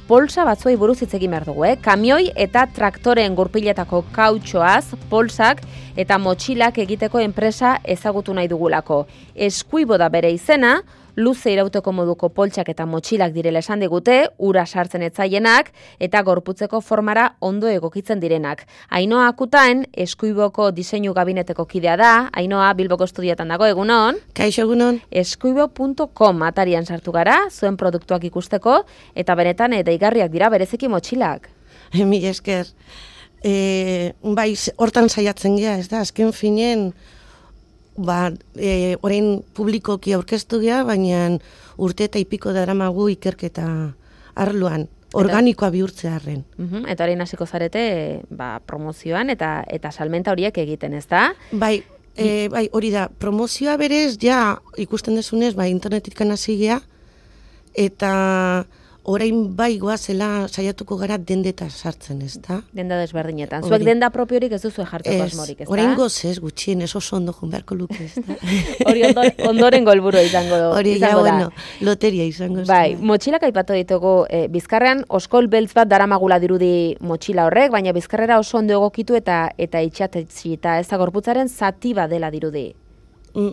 polsa batzuei buruz hitz egin behar dugu, Kamioi eta traktoreen gurpiletako kautxoaz, polsak eta motxilak egiteko enpresa ezagutu nahi dugulako. Eskuibo da bere izena, luze irauteko moduko poltsak eta motxilak direla esan digute, ura sartzen etzaienak eta gorputzeko formara ondo egokitzen direnak. Ainhoa Akutaen, Eskuiboko diseinu gabineteko kidea da. Ainhoa, Bilboko estudioetan dago, egunon? Kaixo, egunon. Eskuibo.com atarian sartu gara, zuen produktuak ikusteko, eta benetan deigarriak dira bereziki motxilak. Mila esker. Bai, hortan saiatzen gea, ez da, azken finen, orain publikoki aurkeztu gea, baina urte eta ipiko daramagu ikerketa arloan, organikoa bihurtzearren. Eta orain hasiko zarete promozioan eta salmenta horiek egiten, ez da? Bai, hori da, promozioa berez, ja ikusten dezunez, internetik hasi gea, eta orain bai goazela saiatuko gara dendeta sartzen, ez da? Denda desberdinetan. Zuek denda propiorik ez duzu jartzeko asmorik, ez da? Orain goz gutxien, oso ondo joan beharko luke, ez da? Hori ondoren golburu izango da. Hori, loteria izango. Bai, motxilak aipatu ditugu, Bizkarrean oskol beltz bat daramagula dirudi motxila horrek, baina Bizkarrera oso ondo egokitu eta itxatetxita, ez da gorputzaren zati bat dela dirudi.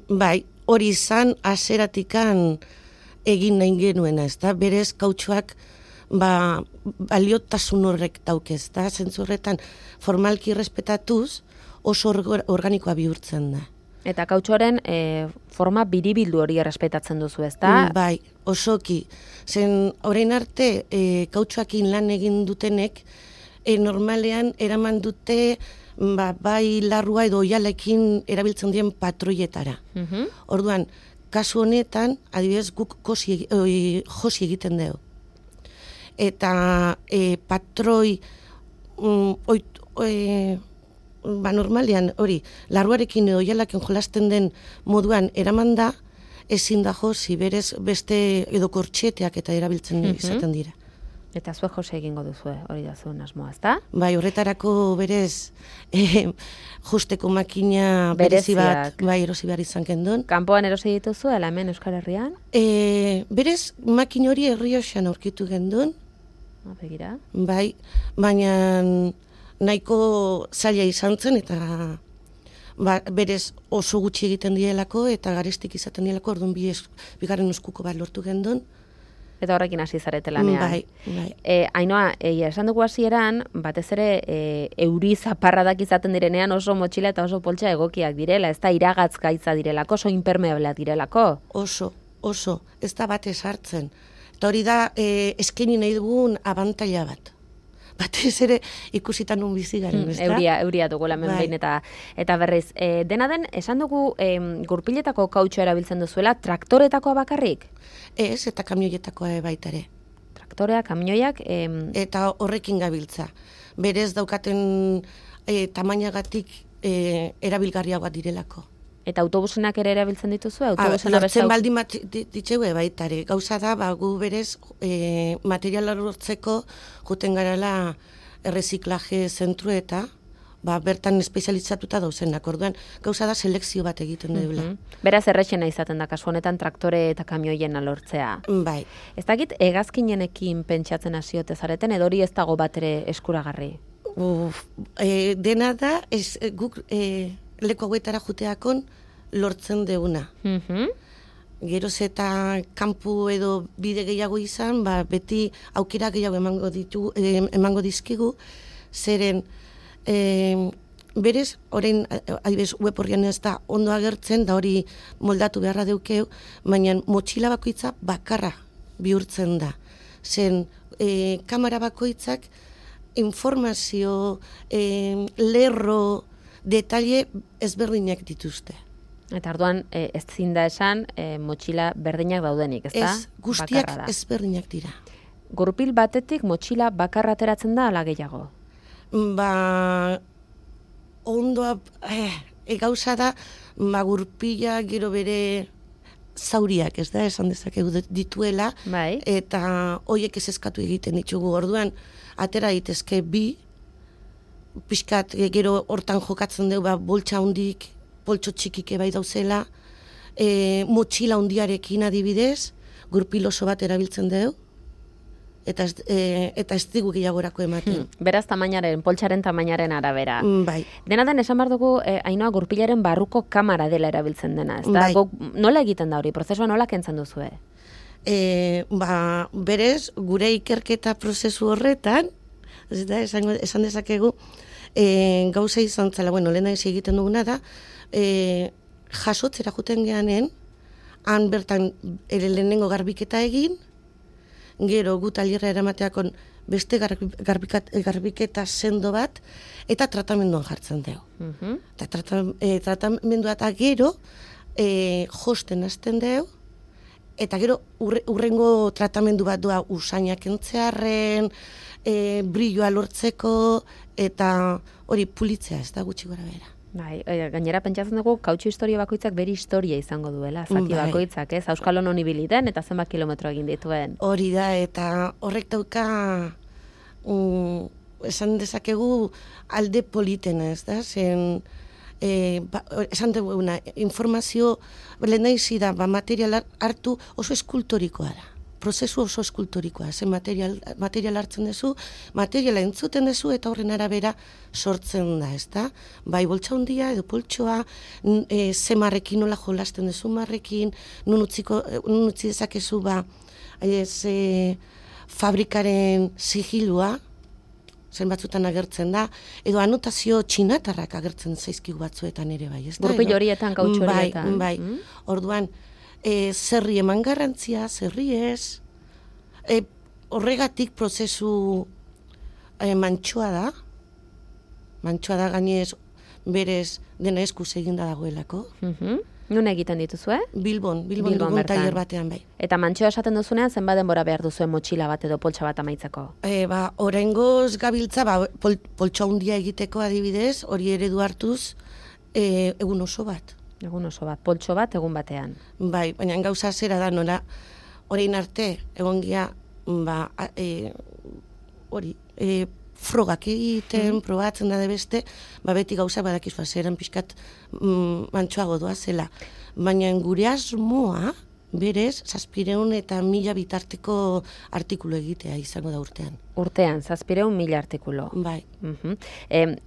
Bai, hori izan aseratikan egin nahi genuena, ez da, berez kautxoak baliotasun horrek dauke, ez da, zentzurretan formalki respetatuz oso organikoa bihurtzen da. Eta kautxoren forma biribildu hori errespetatzen duzu, ez da? Bai, osoki. Zen, orain arte, kautxoakin lan egin dutenek, normalean eraman dute bai larrua edo oialekin erabiltzen dien patroietara. Orduan, kasu honetan, adibidez, guk josi egiten dugu. Eta patroi, normalean, hori, larruarekin edo oialakin jolasten den moduan eraman da, ezin da josi, berez beste edo kortxeteak eta erabiltzen izaten dira. Eta zuek jose egingo duzu, hori da zuen asmoa, ez da? Bai, horretarako berez justeko makina berezi bat erosi behar izan kendun. Kanpoan erosi dituzu, ala hemen Euskal Herrian? Berez makin hori Errioxan aurkitu gendun. Begira. Bai, baina nahiko zaila izan zen eta berez oso gutxi egiten dielako eta garestik izaten dielako, orduan bigarren eskuko bat lortu gendun. Eta horrekin hasi zarete lanean. Bai. Ainhoa, esan dugu hasieran, batez ere euri zaparradak izaten direnean oso motxila eta oso poltsa egokiak direla, ez da iragatzgaitza direlako, oso impermeablea direlako. Oso, ez da bat esartzen. Eta hori da eskaini nahi dugun abantaila bat. Batez ere ikusitan nun bizi garen, ez da? Euria dugu lamen behin eta berriz. Dena den, esan dugu gurpiletako kautxoa erabiltzen duzuela, traktoretakoa bakarrik? Ez, eta kamioietakoa baita ere. Traktorea, kamioiak... Eta horrekin gabiltza. Berez daukaten tamainagatik erabilgarriagoa direlako. Eta autobusenak ere erabiltzen dituzu? Lortzen baldin bat ditzeue baita ere. Gauza da, gu berez materiala lortzeko juten garala erreziklaje zentru eta bertan espezializatuta dauzenak. Orduan, gauza da selekzio bat egiten dugula. Beraz, errexena izaten da, kasu honetan traktore eta kamioien lortzea. Bai. Ez dakit, hegazkinenekin pentsatzen hasiote zareten, edo hori ez dago bat ere eskuragarri? Dena da, guk leku hauetara juteakon lortzen deuna. Geroz eta kanpu edo bide gehiago izan, beti aukera gehiago emango dizkigu, zeren berez, orain adibidez web horrian ez da ondo agertzen, da hori moldatu beharra deukeu, baina motxila bakoitza bakarra bihurtzen da. Zen kamera bakoitzak informazio, lerro, detaile ezberdinak dituzte. Eta orduan ez zinda esan motxila berdinak daudenik, ez da? Ez, guztiak ezberdinak dira. Gurpil batetik motxila bakarra ateratzen da ala gehiago? Ondoa, gauza da, gurpila gero bere zauriak, ez da, esan dezakegu dituela, eta hoiek ez eskatu egiten ditugu. Orduan, atera daitezke bi, pixkat gero hortan jokatzen dugu, boltsa hundik, poltso txikike bai dauzela, motxila hundiarekin adibidez, gurpil oso bat erabiltzen dugu, eta ez digu gehiagorako ematen. Beraz, poltsaren tamainaren arabera. Bai. Dena den, esan behar dugu, Ainhoa, gurpilaren barruko kamara dela erabiltzen dena, ez da? Bai. Nola egiten da hori? Prozesua nola kentzen duzue? Berez, gure ikerketa prozesu horretan, esan dezakegu, gauza izan zela, lehena egiten duguna da, jasotzera juten geanen, han bertan lehenengo garbiketa egin, gero gu talierra eramateakon beste garbiketa sendo bat, eta tratamenduan jartzen dugu. Tratamendua eta gero josten hasten dugu, eta gero urrengo tratamendu bat doa usainak entzearren, brilloa lortzeko, eta hori pulitzea ez da gutxi gora bera. Bai, gainera pentsatzen dugu kautxu historia bakoitzak beri historia izango duela, zati bakoitzak, ez? Auskalo non ibili den eta zenbat kilometro egin dituen. Hori da, eta horrek dauka esan dezakegu alde politena, ez da? Zen, esan duguna, informazio lehen izi da, material hartu oso eskultorikoa da. Prozesu oso eskultorikoa, zen material hartzen duzu, materiala entzuten duzu eta horren arabera sortzen da, ez da? Bai, boltsa hundia edo poltsoa, ze marrekin nola jolasten duzu marrekin, nun utzi dezakezu fabrikaren sigilua, zen batzutan agertzen da, edo anotazio txinatarrak agertzen zaizkigu batzuetan ere bai, ez da? Gurpil horietan, kautxu horietan. Bai, orduan, zerri eman garrantzia, zerri ez, horregatik prozesu mantxoa da gainez berez dena eskuz eginda dagoelako. Nun egiten dituzue? Bilbon dugun tailer batean bai. Eta mantxoa esaten duzunean, zenbat denbora behar duzuen motxila bat edo poltsa bat amaitzeko? Oraingoz gabiltza, poltsa hundia egiteko adibidez, hori eredu hartuz, egun oso bat. Egun oso bat, poltso bat egun batean. Bai, baina gauza zera da, nola, orain arte, egon gia, frogak egiten, probatzen da beste, beti gauza badakizua zeran pixkat mantxoago doa zela. Baina gure asmoa, berez, 700 eta 1000 bitarteko artikulu egitea izango da urtean. Urtean, 700.000 artikulu. Bai.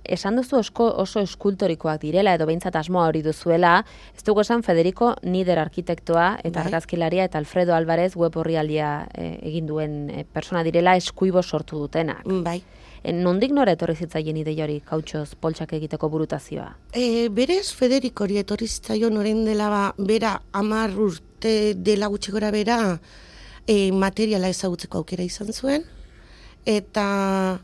Esan duzu oso eskultorikoak direla, edo behintzat asmoa hori duzuela, ez dugu esan Federico Nider arkitektoa eta argazkilaria eta Alfredo Alvarez web orrialdia egin duen persona direla eskuibo sortu dutenak. Bai. Nondik nora etorri zitzaien ideia hori kautxoz poltsak egiteko burutazioa? Berez Federico hori etorri zitzaion orain dela bera 10 urte dela gutxi gora bera materiala ezagutzeko aukera izan zuen, eta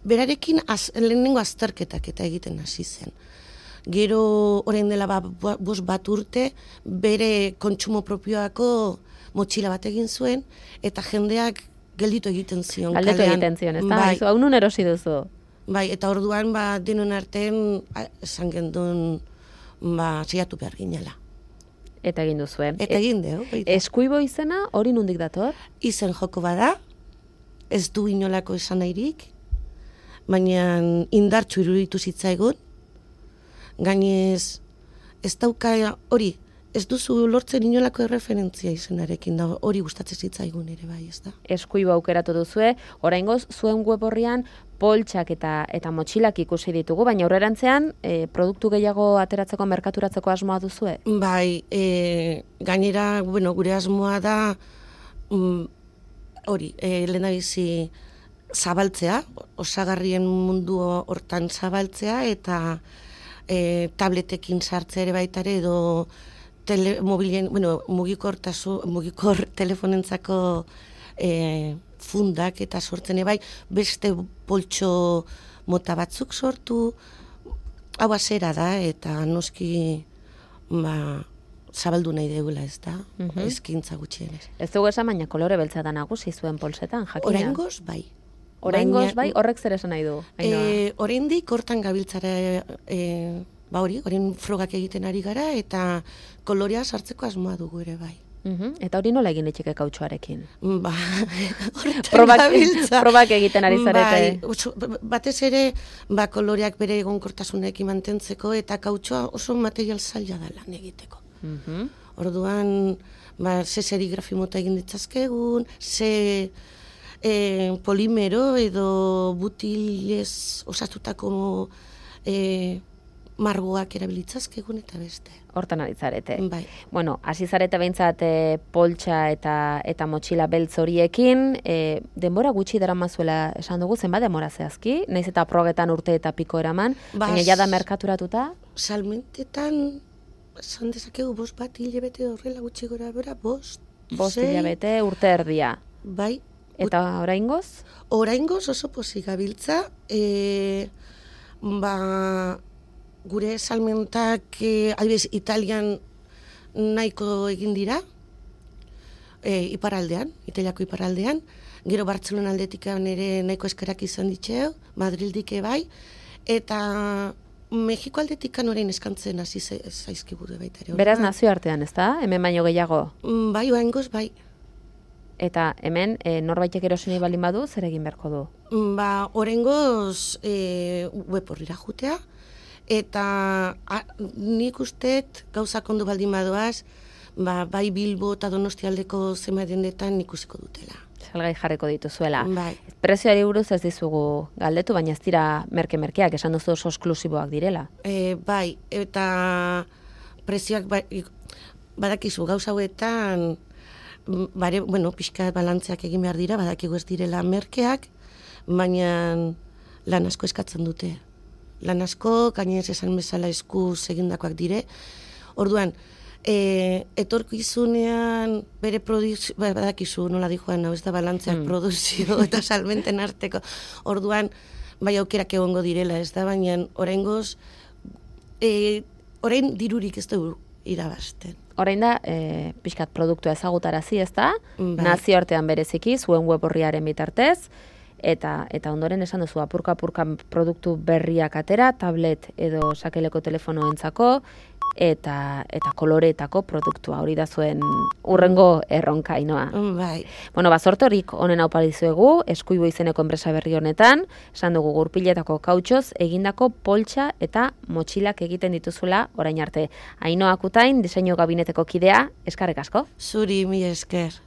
berarekin lehenengo azterketak eta egiten hasi zen. Gero orain dela 5 urte bere kontsumo propioako motxila bat egin zuen, eta jendeak gelditu egiten zion. Galdetu egiten zion, ez da? Bai. Hau nun erosi duzu? Bai, eta orduan denon artean esan gendun saiatu behar ginela. Eta egin duzuen. Eta egin dugu. Eskuibo izena hori nondik dator? Izen joko bada, ez du inolako esan nahirik, baina indartsu iruditu zitzaigun, gainez ez dauka hori, ez duzu lortzen inolako erreferentzia izenarekin, da hori gustatzen zitzaigun ere bai, ez da. Eskuibo aukeratu duzue, oraingoz zuen web orrian poltsak eta motxilak ikusi ditugu, baina aurrerantzean produktu gehiago ateratzeko merkaturatzeko asmoa duzue? Bai, gainera, gure asmoa da hori, lehenabizi zabaltzea, osagarrien mundu hortan zabaltzea, eta tabletekin sartzea ere baitare edo mugikor telefonentzako fundak eta sortzen bai, beste poltso mota batzuk sortu, hau azera da, eta noski zabaldu nahi degula, ez da, ezkintza gutxienez. Ez dugu esan, baina kolore beltza da nagusi zuen poltsetan, jakina? Oraingoz bai. Oraingoz bai, horrek zer esan nahi du? Oraindik hortan gabiltzara orain frogak egiten ari gara, eta kolorea sartzeko asmoa dugu ere bai. Eta hori nola egin etxeke kautxoarekin? Horretan probak egiten ari zarete. Batez ere, koloreak bere egonkortasunekin mantentzeko, eta kautxoa oso material zaila da lan egiteko. Orduan, ze serigrafi mota egin ditzazkegun, ze polimero edo butilez osatutako margoak erabilitzazkegun eta beste. Hortan aditzarete. Bai. Bueno, hasi zarete behintzat poltsa eta motxila beltz horiekin, denbora gutxi daramazuela esan dugu, zenbat denbora zehazki? Naiz eta progetan urte eta piko eraman, baina jada merkaturatuta? Salmentetan, esan dezakegu 5 bat hilabete horrela gutxi gora bera, 5 hilabete urte erdia. Bai. Eta oraingoz? Oraingoz oso pozik gabiltza, gure salmentak adibidez Italian nahiko egin dira, iparraldean, Italiako iparraldean, gero Bartzelona aldetikan ere nahiko eskerak izan ditxeo, Madrildik bai, eta Mexiko aldetikan orain eskantzen hasi zaizkibude baita ere. Beraz nazioartean, ez da? Hemen baino gehiago? Bai, oraingoz bai. Eta hemen norbaitek erosi nahi baldin badu, zer egin beharko du? Oraingoz web horrira jutea, eta nik usteet gauzak ondo baldin badoaz, bai Bilbo eta Donostialdeko zenbait dendetan ikusiko dutela. Salgai jarriko dituzuela. Bai. Prezioari buruz ez dizugu galdetu, baina ez dira merke-merkeak, esan duzu oso esklusiboak direla. Bai, eta prezioak badakizu gauza hauetan, pixka balantzeak egin behar dira, badakigu ez direla merkeak, baina lan asko eskatzen dute. Lan asko, gainez esan bezala eskuz egindakoak dire. Orduan, etorkizunean bere produzio, badakizu nola di joan, ez da balantzeak produzio eta salmenten arteko. Orduan, bai aukerak egongo direla, ez da, baina oraingoz, orain dirurik ez dugu irabazten. Orain da, pixkat produktua ezagutarazi, ez da? Nazioartean bereziki, zuen web horriaren bitartez, eta ondoren esan duzu apurka-apurka produktu berriak atera, tablet edo sakeleko telefonoentzako, eta koloreetako produktua, hori da zuen urrengo erronka, Ainoa. Bai. Bueno, bazortorik honen hau parizuegu, Eskuibo izeneko enpresa berri honetan, esan dugu gurpiletako kautxoz, egindako poltsa eta motxilak egiten dituzula orain arte. Ainoa Kutain, diseinu gabineteko kidea, eskerrik asko. Zuri, mi esker.